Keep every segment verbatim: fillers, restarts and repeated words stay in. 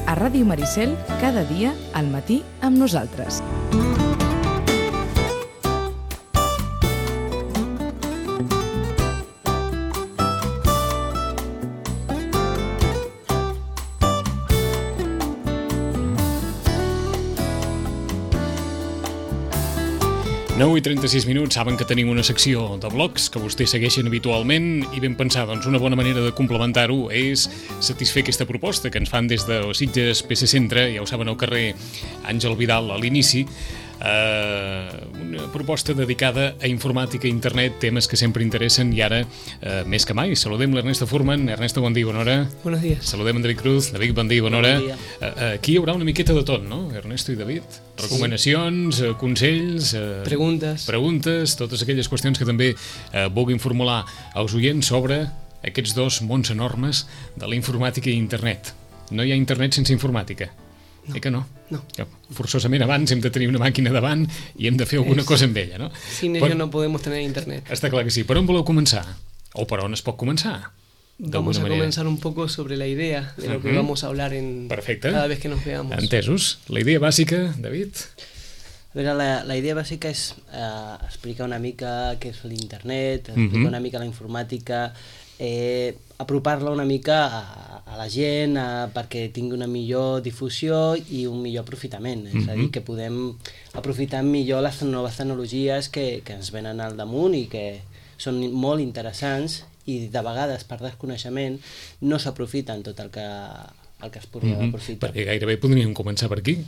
A Ràdio Maricel, cada dia, al matí, amb nosaltres. nou i trenta-sis minuts, saben que tenim una secció de blogs que vostès segueixen habitualment i ben pensar, doncs una bona manera de complementar-ho és satisfer aquesta proposta que ens fan des de Sitges P C Centre, ja ho saben, al carrer Àngel Vidal a l'inici, eh, una proposta dedicada a informàtica i internet, temes que sempre interessen i ara eh, més que mai. Saludem l'Ernesto Furman. Ernesto, bon dia, bona hora. Buenos días. Saludem en David Cruz. David, bon dia, bona hora. Bon dia. Eh, aquí hi haurà una miqueta de tot, no, Ernesto i David? Recomanacions, eh, consells... Eh, Preguntes. Preguntes, totes aquelles qüestions que també eh, vulguin formular als oients sobre aquests dos mons enormes de la informàtica i internet. No hi ha internet sense informàtica. No. Eh que no? No. Que forçosament abans hem de tenir una màquina davant i hem de fer alguna Es... cosa amb ella, no? Sin ello no podemos tener internet. Està clar que sí. Per on voleu començar? O per on es pot començar? Vamos a manera. comenzar un poco sobre la idea de lo Uh-huh. que vamos a hablar en Perfecte. cada vez que nos veamos. Entesos. La idea bàsica, David? A veure, la, la idea bàsica és eh, explicar una mica què és l'internet, explicar Mhm. una mica la informàtica, eh, apropar-la una mica a, a la gent a, perquè tingui una millor difusió i un millor aprofitament. És a dir, Mhm. que podem aprofitar millor les noves tecnologies que, que ens venen al damunt i que són molt interessants i de vegades per desconeixement no s'aprofiten tot el que, el que es podria Mhm. aprofitar. Perquè gairebé podríem començar per aquí.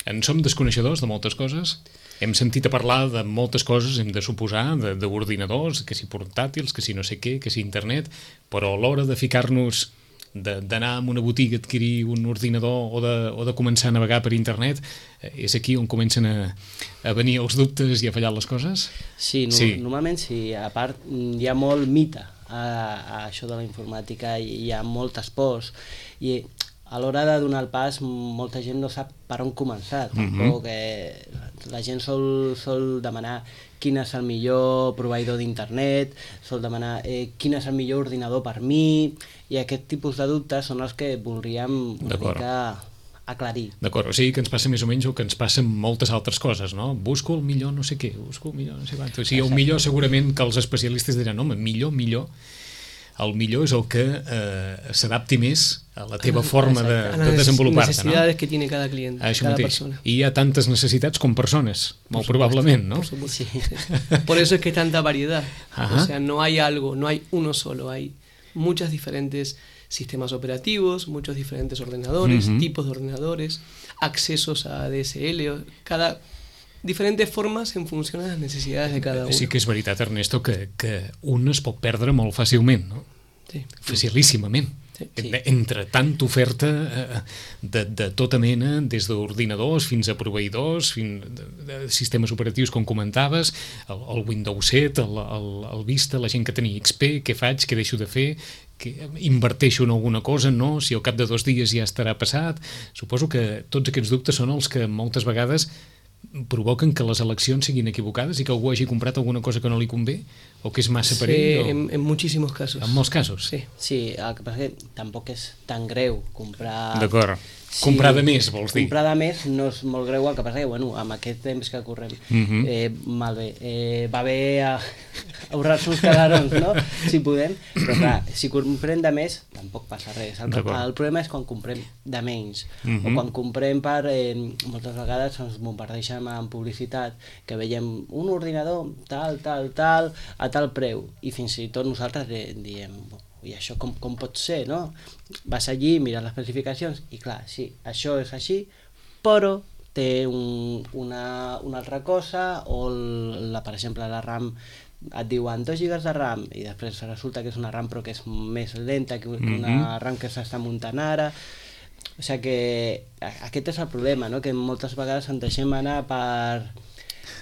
En som desconeixedors de moltes coses. Hem sentit a parlar de moltes coses, hem de suposar, de- d'ordinadors, que si portàtils, que si no sé què, que si internet, però a l'hora de ficar-nos, de- d'anar a una botiga a adquirir un ordinador o de, o de començar a navegar per internet, eh, és aquí on comencen a, a venir els dubtes i a fallar les coses? Sí, no, Sí. normalment sí. A part, mm, hi ha molt mite a, a això de la informàtica, i hi ha moltes pors, i a l'hora de donar el pas molta gent no sap per on començar. Tampoc, eh, la gent sol, sol demanar quin és el millor proveïdor d'internet, sol demanar eh, quin és el millor ordinador per mi, i aquest tipus de dubtes són els que voldríem una D'acord. mica aclarir. D'acord, o sigui que ens passa més o menys el que ens passa amb moltes altres coses, no? Busco el millor no sé què, busco el millor no sé quant. O sigui, el millor segurament que els especialistes diran, home, millor, millor. El millor és el que eh, s'adapti més a la teva forma de, A de las desenvolupar-te, no? necesidades que tiene cada cliente, Això cada mateix. persona. I hi ha tantes necessitats com persones, molt probablement, no? Por supuesto. Sí. Por eso es que hay tanta variedad. Ajá. O sea, no hay algo, no hay uno solo, hay muchas diferentes sistemas operativos, muchos diferentes ordenadores, Ujú. tipos de ordenadores, accesos a D S L, o- cada diferentes formas en función a las necesidades de cada uno. Sí que és veritat, Ernesto, que, que un es pot perdre molt fàcilment, no? Sí. Facilíssimament. Sí. En- Entre tanta oferta eh, de, de tota mena, des d'ordinadors fins a proveïdors, fins de, de sistemes operatius, com comentaves, el, el Windows set, el, el, el Vista, la gent que tenia X P, què faig, què deixo de fer, que inverteixo en alguna cosa, no? Si al cap de dos dies ja estarà passat. Suposo que tots aquests dubtes són els que moltes vegades provoquen que les eleccions siguin equivocades i que algú hagi comprat alguna cosa que no li convé o que és massa per Sí, ell. O... en, en muchísimos casos. En molts casos. Sí. Sí, el que passa que tampoc és tan greu comprar... D'acord. Comprar de més, vols dir? Comprar de més no és molt greu, el que passa que, bueno, amb aquest temps que correm, Mhm. eh, malbé, eh, va bé a ahorrar-se uns calarons, no?, si podem, però clar, si comprem de més, tampoc passa res. El, D'acord. el problema és quan comprem de menys, Mhm. o quan comprem per... Eh, moltes vegades ens bombardeixen amb publicitat, que veiem un ordinador tal, tal, tal, a tal preu, i fins i tot nosaltres di- diem... i això com, com pot ser, no? Vas allí, mires les especificacions i clar, sí, això és així, però té un, una, una altra cosa, o la, per exemple la RAM et diuen dos gigas de RAM i després resulta que és una RAM però que és més lenta que una Mhm. RAM que s'està muntant ara. O sigui que aquest és el problema, no? Que moltes vegades ens deixem anar per,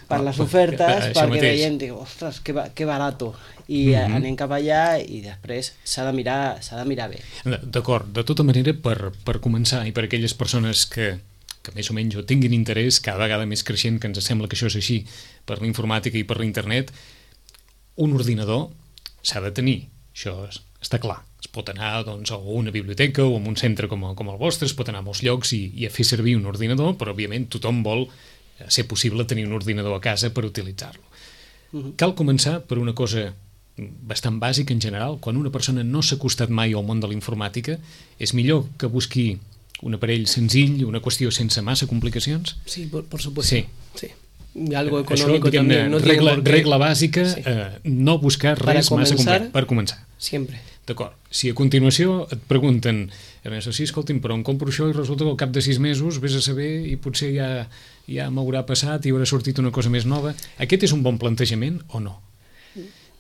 per les ofertes, Això perquè mateix. veiem, dic, ostres, que, ba- que barato, i Mhm. anem cap allà i després s'ha de mirar, s'ha de mirar bé. D'acord, de tota manera, per, per començar, i per aquelles persones que que més o menys o tinguin interès, cada vegada més creixent, que ens sembla que això és així per la informàtica i per l'internet, un ordinador s'ha de tenir, això està clar. Es pot anar doncs, a una biblioteca o a un centre com, com el vostre, es pot anar a molts llocs i, i a fer servir un ordinador, però òbviament tothom vol ser possible tenir un ordinador a casa per utilitzar-lo. Uh-huh. Cal començar per una cosa bastant bàsica en general. Quan una persona no s'ha acostat mai al món de la informàtica, és millor que busqui un aparell senzill, una qüestió sense massa complicacions? Sí, por, por supuesto. Sí. Sí. Y algo económico Això, también. No regla, tiene por qué... regla bàsica, sí. eh, no buscar Para res comenzar, massa complex. Per començar. Siempre. D'acord. Si a continuació et pregunten, Ernesto, sí, escolti'm, però em compro això i resulta que al cap de sis mesos vés a saber i potser ja, ja m'haurà passat i haurà sortit una cosa més nova. Aquest és un bon plantejament o no?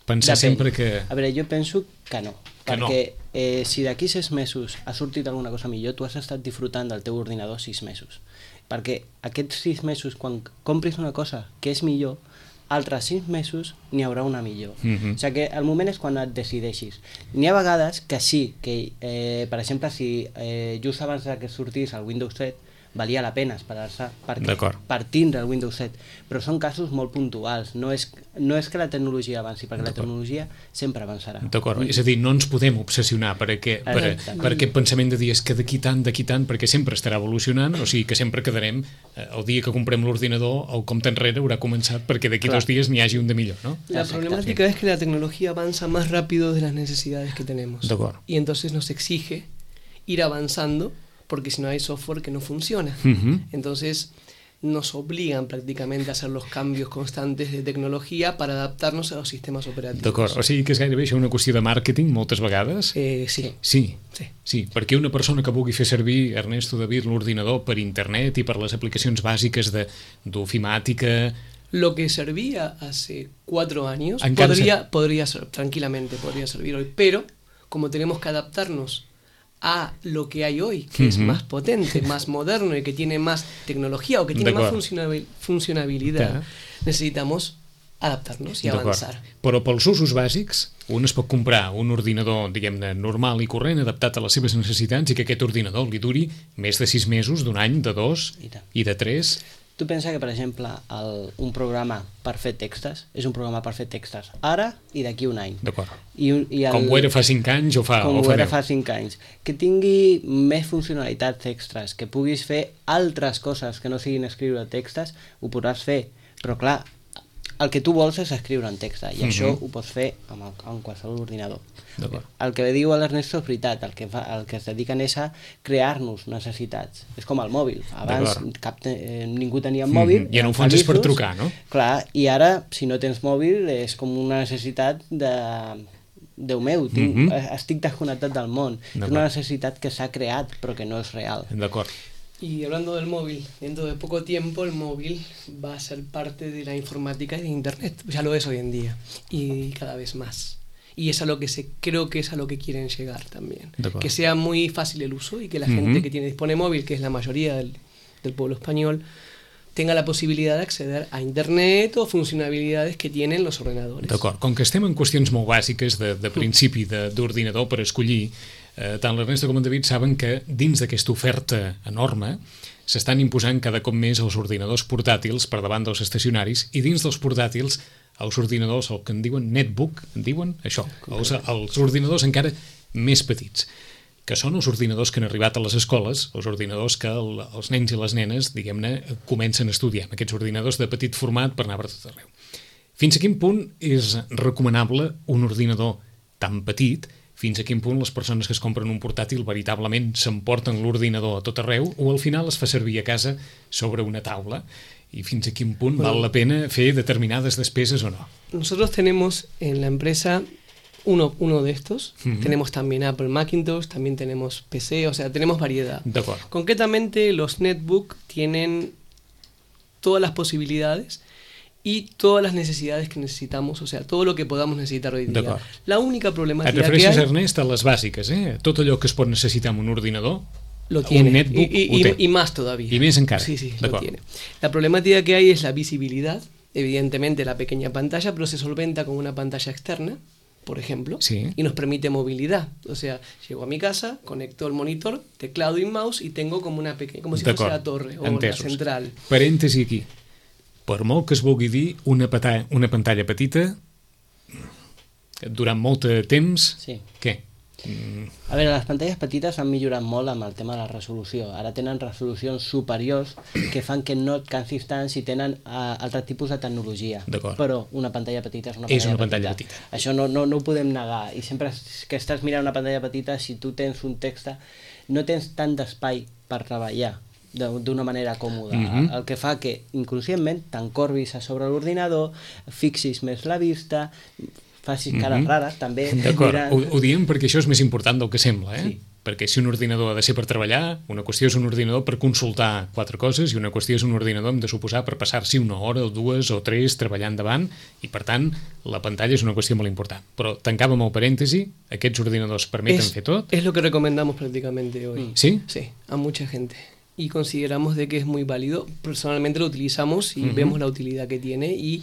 Pensar Depèn. sempre que... A veure, jo penso que no. Que no. Perquè eh, si d'aquí sis mesos ha sortit alguna cosa millor, tu has estat disfrutant del teu ordinador sis mesos. Perquè aquests sis mesos, quan compris una cosa que és millor, altres sis mesos n'hi haurà una millor. Mm-hmm. O sigui que el moment és quan et decideixis. N'hi ha vegades que sí, que eh, per exemple, si eh, just abans que sortís el Windows set, valia la pena esperar-se perquè, per tindre el Windows set, però són casos molt puntuals, no és, no és que la tecnologia avanci, perquè la tecnologia sempre avançarà. D'acord, és a dir, no ens podem obsessionar per, aquest, per, per aquest pensament de dir és que d'aquí tant, d'aquí tant, perquè sempre estarà evolucionant, o sigui que sempre quedarem, eh, el dia que comprem l'ordinador, el compte enrere haurà començat perquè d'aquí dos dies n'hi hagi un de millor, ¿no? La problemática es que la tecnología avanza más rápido de las necesidades que tenemos. Y entonces nos exige ir avanzando, porque si no hay software que no funciona. Uh-huh. Entonces nos obligan prácticamente a hacer los cambios constantes de tecnologia per adaptar-nos a los sistemes operatius. D'acord, o sigui que és gairebé això una qüestió de màrqueting moltes vegades? Eh, sí. Sí. Sí. Sí, perquè una persona que vulgui fer servir, Ernesto David, l'ordinador per internet i per les aplicacions bàsiques d'ofimàtica... Lo que servía hace cuatro años podría, podría ser, tranquilamente podría servir hoy, pero como tenemos que adaptarnos a lo que hay hoy, que uh-huh. es más potente, más moderno y que tiene más tecnología o que tiene más funcionabil funcionabilidad, necesitamos adaptar-nos i avançar. Però pels usos bàsics, un es pot comprar un ordinador, diguem-ne, normal i corrent, adaptat a les seves necessitats i que aquest ordinador li duri més de sis mesos, d'un any, de dos i, i de tres. Tu pensa que, per exemple, el, un programa per fer textos és un programa per fer textos ara i d'aquí un any. D'acord. I, i el, com ho era fa cinc anys o fa Com o ho fa era deu. fa cinc anys. Que tingui més funcionalitats extras, que puguis fer altres coses que no siguin escriure textos, ho podràs fer. Però clar, el que tu vols és escriure en text, i uh-huh. això ho pots fer amb, el, amb qualsevol ordinador. El que diu l'Ernesto és veritat, el que, fa, el que es dediquen és a crear-nos necessitats. És com el mòbil. Abans cap, eh, ningú tenia mòbil. Uh-huh. I en un fons és per trucar, no? Clar, i ara, si no tens mòbil, és com una necessitat de... Déu meu, tinc, uh-huh. estic desconnectat del món. És una necessitat que s'ha creat, però que no és real. D'acord. Y hablando del móvil, dentro de poco tiempo el móvil va a ser parte de la informática y de Internet. Ya lo es hoy en día y cada vez más. Y es a lo que se, creo que es a lo que quieren llegar también. Que sea muy fácil el uso y que la uh-huh. gente que tiene dispone móvil, que es la mayoría del, del pueblo español, tenga la possibilitat d'acceder a internet o funcionabilitats que tienen los ordenadores. D'acord, com que estem en qüestions molt bàsiques de, de principi d'ordinador per escollir, eh, tant l'Ernesto com en David saben que dins d'aquesta oferta enorme s'estan imposant cada cop més els ordinadors portàtils per davant dels estacionaris i dins dels portàtils els ordinadors, el que en diuen netbook, en diuen això, els, els ordinadors encara més petits, que són els ordinadors que han arribat a les escoles, els ordinadors que el, els nens i les nenes, diguem-ne, comencen a estudiar, aquests ordinadors de petit format per anar per tot arreu. Fins a quin punt és recomanable un ordinador tan petit, fins a quin punt les persones que es compren un portàtil veritablement s'emporten l'ordinador a tot arreu o al final es fa servir a casa sobre una taula i fins a quin punt bueno, val la pena fer determinades despeses o no? Nosotros tenemos en la empresa Uno, uno de estos, uh-huh. tenemos también Apple Macintosh, también tenemos P C, o sea, tenemos variedad. Concretamente, los netbook tienen todas las posibilidades y todas las necesidades que necesitamos, o sea, todo lo que podamos necesitar hoy día. La única problemàtica que hay... Et refereixes, Ernest, a les bàsiques, eh? Tot allò que es pot necessitar en un ordinador, lo tiene, un netbook y, y, ho té. Y más todavía. Y més encara. Sí, sí, lo tiene. La problemática que hay es la visibilidad, evidentemente la pequeña pantalla, pero se solventa con una pantalla externa, por ejemplo, sí. y nos permite movilidad. O sea, llego a mi casa, conecto el monitor, teclado y mouse y tengo como una pequeña, como si fuese la torre o entesos. la central. Parèntesi aquí. Per molt que es vulgui dir una, pata, una pantalla petita, durant molt de temps, sí. què? Mm. A veure, les pantalles petites han millorat molt amb el tema de la resolució. Ara tenen resolucions superiors que fan que no et cansis tant si tenen uh, altre tipus de tecnologia. Però una pantalla petita és una pantalla, és una petita. pantalla petita. Això no, no, no ho podem negar. I sempre que estàs mirant una pantalla petita, si tu tens un text, no tens tant d'espai per treballar d'una manera còmoda, mm-hmm. el que fa que inconscientment t'encorbis a sobre l'ordinador, fixis més la vista, facis cares mm-hmm. rares, també. D'acord, mirant... ho, ho diem perquè això és més important del que sembla, eh? Sí. Perquè si un ordinador ha de ser per treballar, una qüestió és un ordinador per consultar quatre coses i una qüestió és un ordinador, hem de suposar, per passar-s'hi una hora o dues o tres treballant davant i, per tant, la pantalla és una qüestió molt important. Però tancàvem el parèntesi, aquests ordinadors permeten es, fer tot. Es lo que recomendamos prácticamente hoy. ¿Sí? Sí, a mucha gente. Y consideramos de que es muy válido. Personalmente lo utilizamos y uh-huh. vemos la utilidad que tiene y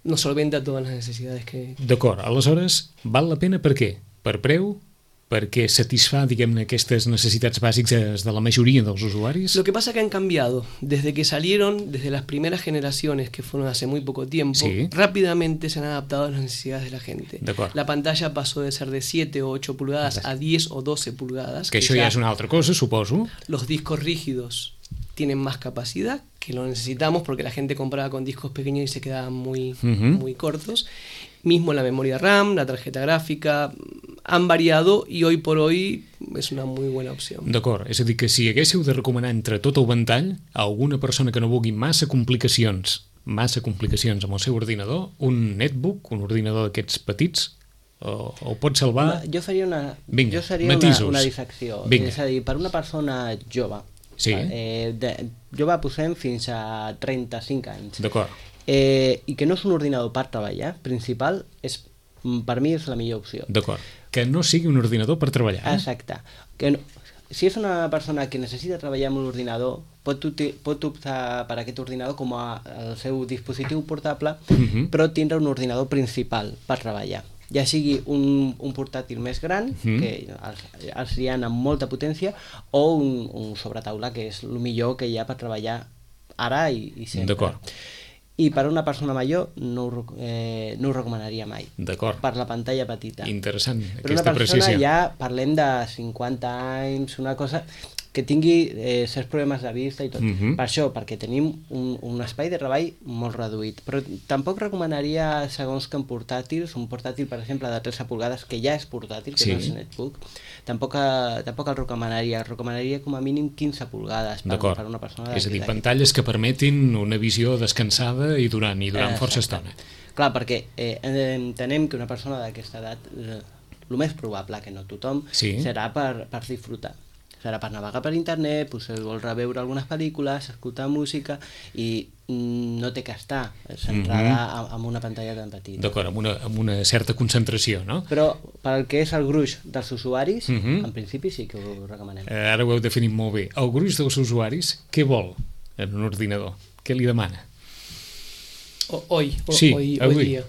nos solventa todas las necesidades que... D'acord, aleshores, val la pena per què? Per preu? Perquè satisfà, diguem-ne, aquestes necessitats bàsiques de la majoria dels usuaris? Lo que pasa es que han cambiado. Desde que salieron, desde las primeras generaciones, que fueron hace muy poco tiempo, sí. rápidamente se han adaptado a las necesidades de la gente. La pantalla pasó de ser de siete o ocho pulgadas a diez o doce pulgadas. Que, que això ja és una altra cosa, suposo. Los discos rígidos tienen más capacidad, que lo necesitamos porque la gente compraba con discos pequeños y se quedaban muy, uh-huh. muy cortos. Mismo la memoria RAM, la tarjeta gráfica, han variado i hoy por hoy és una muy buena opció. D'acord, és a dir que si haguéssiu de recomanar entre tot el ventall a alguna persona que no vulgui massa complicacions, massa complicacions amb el seu ordinador, un netbook, un ordinador d'aquests petits, o, o pot salvar... Jo faria una... Vinga, jo seria matisos. una, una dissecció. Vinga. És a dir, per una persona jove, sí. eh, de, jove posem fins a trenta-cinc anys. D'acord. Eh, i que no és un ordinador per treballar principal, és, per mi és la millor opció. D'acord, que no sigui un ordinador per treballar. Eh? Exacte. Que no, si és una persona que necessita treballar amb un ordinador, pot, pot optar per aquest ordinador com a el seu dispositiu portable, uh-huh. però tindre un ordinador principal per treballar. Ja sigui un, un portàtil més gran, uh-huh. que els, els hi ha amb molta potència, o un, un sobretaula, que és el millor que hi ha per treballar ara i, i sempre. D'acord. I per a una persona major no ho, eh, no ho recomanaria mai. D'acord. Per la pantalla petita. Interessant, per aquesta precisió. Per una persona precisió. ja parlem de cinquanta anys, una cosa que tingui eh, certs problemes de vista i tot. Uh-huh. Per això, perquè tenim un, un espai de treball molt reduït. Però tampoc recomanaria, segons que en portàtils, un portàtil, per exemple, de tretze pulgades, que ja és portàtil, que sí. no és netbook, tampoc, tampoc el recomanaria. El recomanaria com a mínim quinze pulgades per, per una persona. És a dir, pantalles que permetin una visió descansada i durant, i durant eh, força estona. Clar, perquè eh, entenem que una persona d'aquesta edat, eh, el més probable, que no tothom, sí. serà per, per disfrutar. Serà per navegar per internet, potser vol reveure algunes pel·lícules, escoltar música i no té que estar centrada mm-hmm. en una pantalla tan petita. D'acord, amb, una, amb una certa concentració, no? Però pel que és el gruix dels usuaris, mm-hmm. en principi sí que ho recomanem. Eh, ara ho heu definit molt bé. El gruix dels usuaris, què vol en un ordinador? Què li demana? O, hoy, o, sí, hoy, avui. hoy día.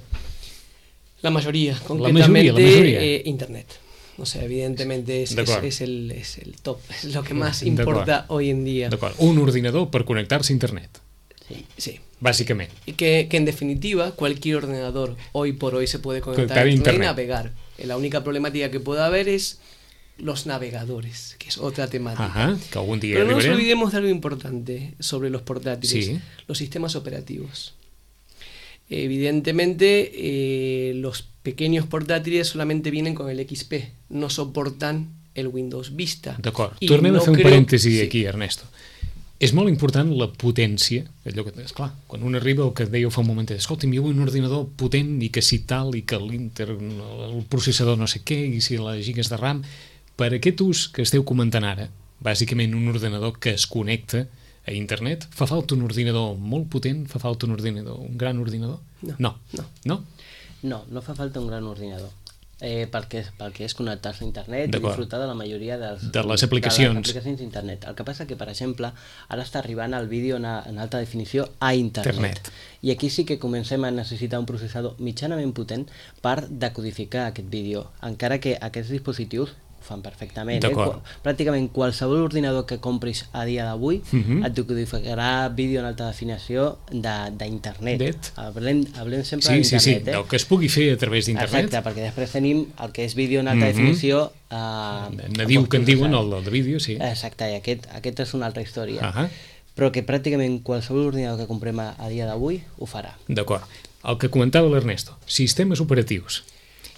La mayoría, concretamente la mayoría, la mayoría. Eh, internet. O sea, evidentemente es, es, es, el, es el top, es lo que más importa hoy en día. D'acord, un ordinador per connectar-se a internet. Sí, sí. Básicamente. Y que, que en definitiva cualquier ordenador hoy por hoy se puede conectar a internet y navegar. La única problemática que puede haber es los navegadores, que es otra temática. Ajá, que algún día Pero no nos arribarem. olvidemos de algo importante sobre los portátiles, sí. los sistemas operativos. Evidentemente, eh, los pequeños portátiles solamente vienen con el X P, no soportan el Windows Vista. D'acord, tornem no a fer un parèntesi aquí, sí. Ernesto. És molt important la potència, allò que, esclar, quan un arriba el que dèieu fa un moment, escolta'm, jo vull un ordinador potent i que si tal, i que l'inter, el processador no sé què, i si les gigas de RAM, per aquest ús que esteu comentant ara, bàsicament un ordenador que es connecta a internet, fa falta un ordinador molt potent, fa falta un ordinador, un gran ordinador? No. No. No. No? No, no fa falta un gran ordinador. eh, pel, que, pel que és connectar-se a internet i disfrutar de la majoria dels, de les aplicacions. de les aplicacions d'internet. El que passa que, per exemple, ara està arribant el vídeo en, en alta definició a internet. internet. I aquí sí que comencem a necessitar un processador mitjanament potent per decodificar aquest vídeo, encara que aquests dispositius fan perfectament. Eh? Qu pràcticament qualsevol ordinador que compris a dia d'avui uh -huh. et decodificarà vídeo en alta definició d'internet. Hablem, hablem sempre sí, d'internet. Sí, sí, eh? del que es pugui fer a través d'internet. Exacte, perquè després tenim el que és vídeo en alta uh -huh. definició. Eh, Nadiu que en diuen, el, el de vídeo, sí. Exacte, i aquest, aquest és una altra història. Uh -huh. Però que pràcticament qualsevol ordinador que comprem a, a dia d'avui ho farà. D'acord. El que comentava l'Ernesto, sistemes operatius.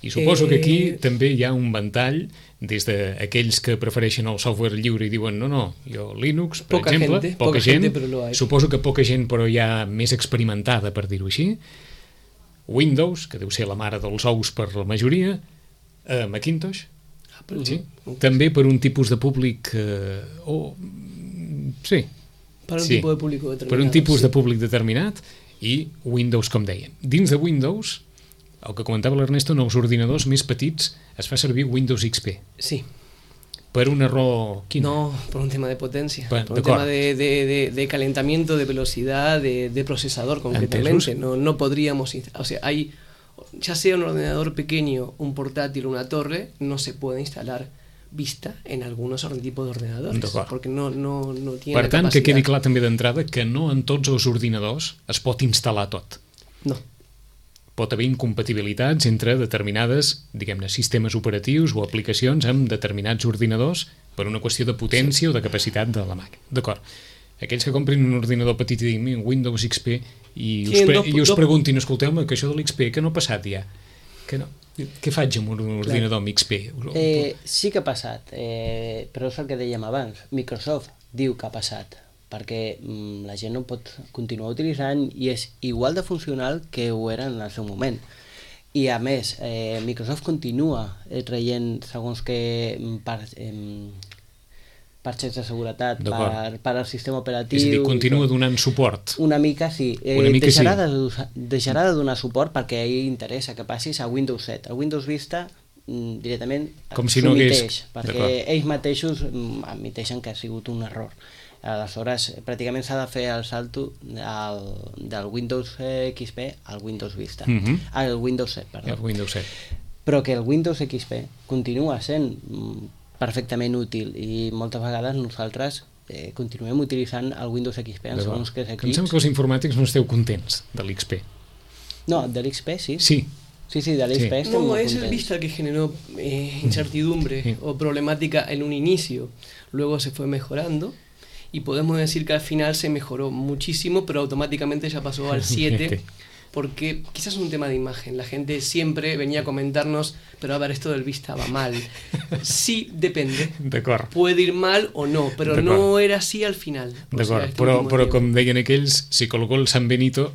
I suposo que aquí eh... també hi ha un ventall des d'aquells que prefereixen el software lliure i diuen no, no, jo Linux, per poca exemple, gente, poca, poca gent, gente, però lo hay. Suposo que poca gent però ja més experimentada, per dir-ho així, Windows, que deu ser la mare dels ous per la majoria, eh, Macintosh, ah, però sí? no. També per un tipus de públic eh, oh, sí, per un sí, tipus de públic determinat, per un tipus sí. de públic determinat i Windows, com dèiem. Dins de Windows, el que comentava l'Ernesto, en els ordinadors més petits es fa servir Windows X P. Sí. ¿Per un error? ¿Qué? No, por un tema de potencia, bueno, por un tema de, de, de, de calentamiento, de velocidad, de, de procesador concretamente. No, no podríamos, o sea, hay, ya sea un ordenador pequeño, un portátil o una torre, no se puede instalar Vista en algunos tipos de ordenadores, porque no, no, no tiene per la tant, capacitat. que quedi clar també d'entrada que no en tots els ordinadors es pot instal·lar tot. No. Pot haver incompatibilitats entre determinades, diguem-ne, sistemes operatius o aplicacions amb determinats ordinadors per una qüestió de potència sí. o de capacitat de la màquina. D'acord. Aquells que comprin un ordinador petit i diguin Windows X P i us, pre i us preguntin, escolteu-me, que això de l'X P, que no ha passat ja? Que no? Què faig amb un ordinador amb X P? Eh, sí que ha passat, eh, però és el que dèiem abans. Microsoft diu que ha passat, perquè mm, la gent no pot continuar utilitzant i és igual de funcional que ho era en el seu moment. I a més, eh, Microsoft continua eh, traient segons que per, eh, parxes de seguretat per, per al sistema operatiu. És a dir, continua donant suport. Una mica sí. Eh, Una mica deixarà, sí. De, deixarà de donar suport perquè a ell interessa que passis a Windows set. A Windows Vista mm, directament com si no hagués... perquè ells mateixos mm, admiteixen que ha sigut un error. Aleshores, pràcticament s'ha de fer el salto del, del Windows X P al Windows Vista. Uh -huh. Al Windows set, perdó. El Windows set. Però que el Windows X P continua sent perfectament útil i moltes vegades nosaltres eh, continuem utilitzant el Windows X P en segons que és equips. Em sembla que els informàtics no esteu contents de l'X P. No, de l'X P sí. Sí. Sí, sí, de l'X P sí. estem no, molt es contents. el Vista el que generó eh, incertidumbre sí. o problemática en un inicio. Luego se fue mejorando. Y podemos decir que al final se mejoró muchísimo, pero automáticamente ya pasó al siete, porque quizás es un tema de imagen. La gente siempre venía a comentarnos, pero a ver, esto del Vista va mal. Sí, depende. Puede ir mal o no, pero no era así al final. D'acord, este però, però com deien aquells, si colgó el San Benito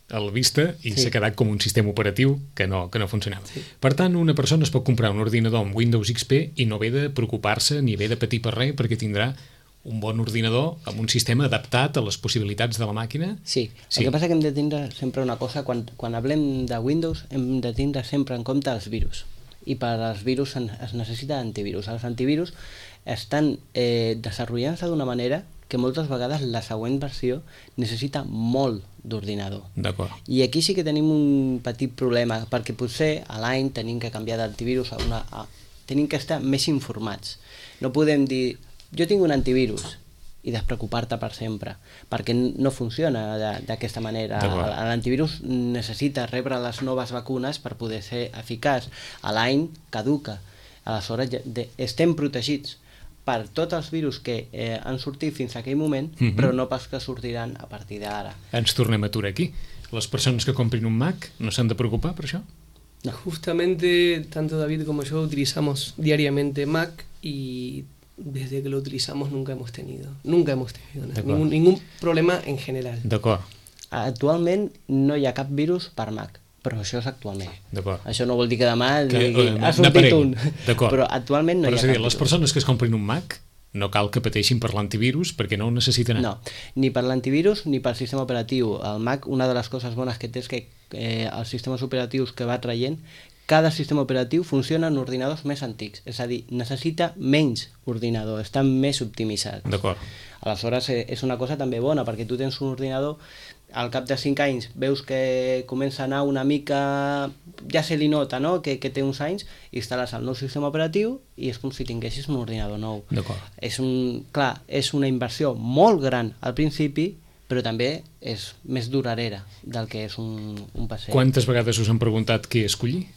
el Vista i s'ha sí. quedat com un sistema operatiu que no, que no funcionava. Sí. Per tant, una persona es pot comprar un ordinador amb Windows X P i no ve de preocupar-se ni ve de patir per res perquè tindrà un bon ordinador amb un sistema adaptat a les possibilitats de la màquina. Sí, sí. El que passa que hem de tindre sempre una cosa, quan, quan hablem de Windows hem de tindre sempre en compte els virus, i per als virus es necessita antivirus. Els antivirus estan eh, desenvolupant-se d'una manera que moltes vegades la següent versió necessita molt d'ordinador. D'acord. I aquí sí que tenim un petit problema, perquè potser a l'any tenim que canviar d'antivirus a una... A, tenim que estar més informats. No podem dir jo tinc un antivirus i despreocupar-te per sempre, perquè no funciona d'aquesta manera. L'antivirus necessita rebre les noves vacunes per poder ser eficaç. A l'any caduca. Aleshores estem protegits per tots els virus que eh, han sortit fins a aquell moment, uh-huh. però no pas que sortiran a partir d'ara. Ens tornem a aturar aquí. Les persones que comprin un Mac no s'han de preocupar per això? No. Justamente, tanto David como yo utilizamos diariamente Mac y desde que lo utilizamos nunca hemos tenido, nunca hemos tenido nada, ningún, ningún problema en general. D'acord. Actualment no hi ha cap virus per Mac, però això és actualment. Això no vol dir que demà que, digui, uh, ha sortit un, però actualment no però hi ha cap dir, les persones que es comprin un Mac no cal que pateixin per l'antivirus perquè no ho necessiten. No, ni per l'antivirus ni pel sistema operatiu. El Mac, una de les coses bones que té és que eh, els sistemes operatius que va traient cada sistema operatiu funciona en ordinadors més antics, és a dir, necessita menys ordinador, està més optimitzat. D'acord. Aleshores és una cosa també bona, perquè tu tens un ordinador, al cap de cinc anys veus que comença a anar una mica, ja se li nota, no?, que, que té uns anys, instal·les el nou sistema operatiu i és com si tinguessis un ordinador nou. D'acord. És un, clar, és una inversió molt gran al principi, però també és més duradera del que és un, un P C. Quantes vegades us han preguntat què escollir?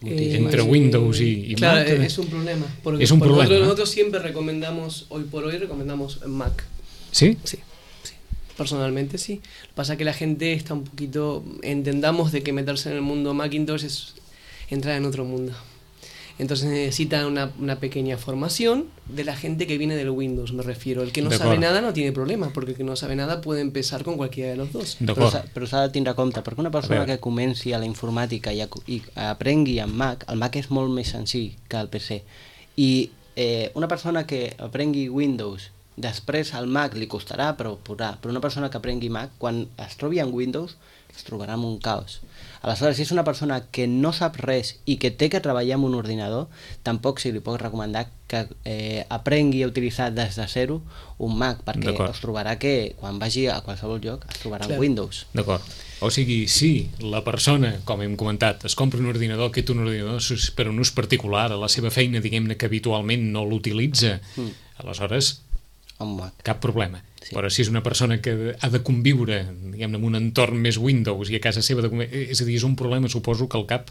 Eh, Entre Windows y, y claro, Mac. Claro, es un problema. Porque, es un porque problema. Nosotros, nosotros siempre recomendamos, hoy por hoy recomendamos Mac. ¿Sí? Sí, sí. Personalmente sí. Lo que pasa es que la gente está un poquito... Entendamos de que meterse en el mundo Macintosh es entrar en otro mundo. Entonces necesitan una, una pequeña formación de la gente que viene del Windows, me refiero. El que no sabe nada no tiene problema, porque el que no sabe nada puede empezar con cualquiera de los dos. Però s'ha de tindre compte, perquè una persona que comenci a la informàtica i, a, i aprengui amb Mac, el Mac és molt més senzill que el P C. I eh, una persona que aprengui Windows, després al Mac li costarà, però podrà. Però una persona que aprengui Mac, quan es trobi en Windows, es trobarà amb un caos. Aleshores, si és una persona que no sap res i que té que treballar amb un ordinador, tampoc se li pot recomanar que eh, aprengui a utilitzar des de zero un Mac, perquè es trobarà que quan vagi a qualsevol lloc es trobarà en Windows. D'acord. O sigui, si la persona, com hem comentat, es compra un ordinador, aquest un ordinador per un ús particular, a la seva feina, diguem-ne que habitualment no l'utilitza, mm. aleshores cap problema. Sí. Però si és una persona que ha de conviure, diguem-ne, en un entorn més Windows i a casa seva, de... és a dir, és un problema, suposo que el cap...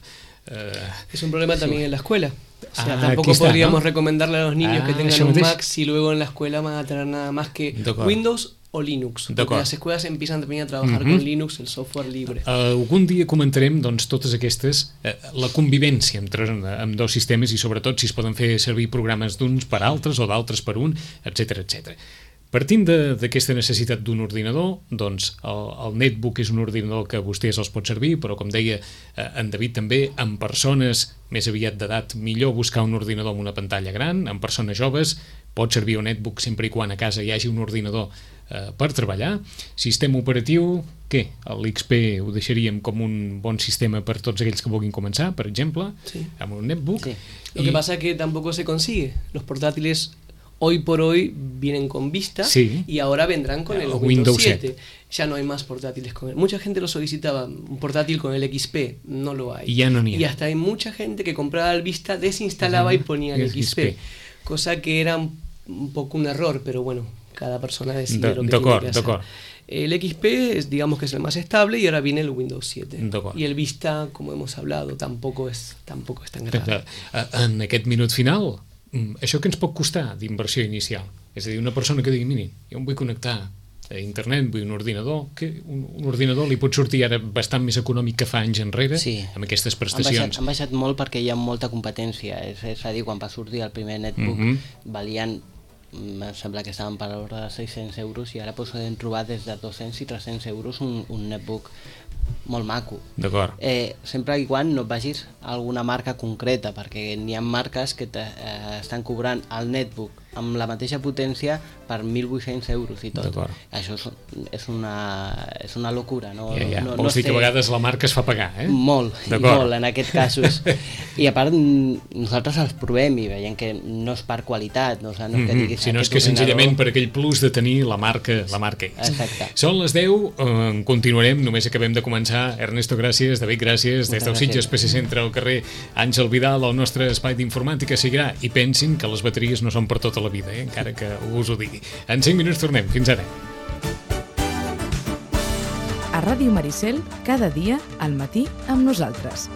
Eh... Es un problema también sí. en la escuela. O sea, ah, tampoco está, podríamos ¿no? recomendarle a los niños ah, que tengan un Mac si luego en la escuela van a tener nada más que Windows o Linux. Porque las escuelas empiezan también a trabajar uh-huh. con Linux, el software libre. Uh, algun dia comentarem doncs, totes aquestes, uh, la convivència entre amb dos sistemes i sobretot si es poden fer servir programes d'uns per altres o d'altres per un, etcètera, etcètera. Partint d'aquesta necessitat d'un ordinador, doncs el, el netbook és un ordinador que vostès els pot servir, però com deia eh, en David també, amb persones més aviat d'edat, millor buscar un ordinador amb una pantalla gran, amb persones joves, pot servir un netbook sempre i quan a casa hi hagi un ordinador eh, per treballar. Sistema operatiu, què? L'X P ho deixaríem com un bon sistema per tots aquells que vulguin començar, per exemple, sí. amb un netbook. Sí. Lo que pasa es que tampoco se consigue. Los portátiles hoy por hoy vienen con Vista sí. y ahora vendrán con el Windows siete. Ya no hay más portátiles con él. Mucha gente lo solicitaba, un portátil con el X P, no lo hay. Y ya no ni hay. Y hasta hay mucha gente que compraba el Vista, desinstalaba uh-huh. y ponía el X P, X P, cosa que era un, un poco un error, pero bueno, cada persona decide lo que tiene que hacer. El X P es, digamos que es el más estable y ahora viene el Windows siete. Y el Vista, como hemos hablado, tampoco es, tampoco es tan grave. En aquest minut final, això què ens pot costar d'inversió inicial? És a dir, una persona que digui, miri, jo em vull connectar a internet, vull un ordinador, que un, un ordinador li pot sortir ara bastant més econòmic que fa anys enrere, sí. amb aquestes prestacions. Han baixat, han baixat molt perquè hi ha molta competència, és, és a dir, quan va sortir el primer netbook mm-hmm. valien, em sembla que estaven per l'ordre de seis-cents euros i ara poden trobar des de dos-cents i tres-cents euros un, un netbook molt maco. D'acord. Eh, sempre i quan no vagis a alguna marca concreta, perquè n'hi ha marques que te, eh, estan cobrant el netbook amb la mateixa potència per mil vuit-cents euros i tot. Això és, és, una, és una locura. No, ja, ja. no, Vols no dir que a vegades la marca es fa pagar, eh? Molt, molt en aquests casos. I a part, nosaltres els provem i veiem que no és per qualitat, no, o sigui, no és que diguis... Si no és que senzillament per aquell plus de tenir la marca, la marca X. Exacte. Són les deu, eh, continuarem, només acabem de començar. Ernesto, gràcies, David, gràcies, des del Sitges P C Centre al carrer Àngel Vidal, el nostre espai d'informàtica seguirà, i pensin que les bateries no són per tota la vida, eh? Encara que us ho digui. En cinc minuts tornem. Fins ara. A Ràdio Maricel, cada dia al matí amb nosaltres.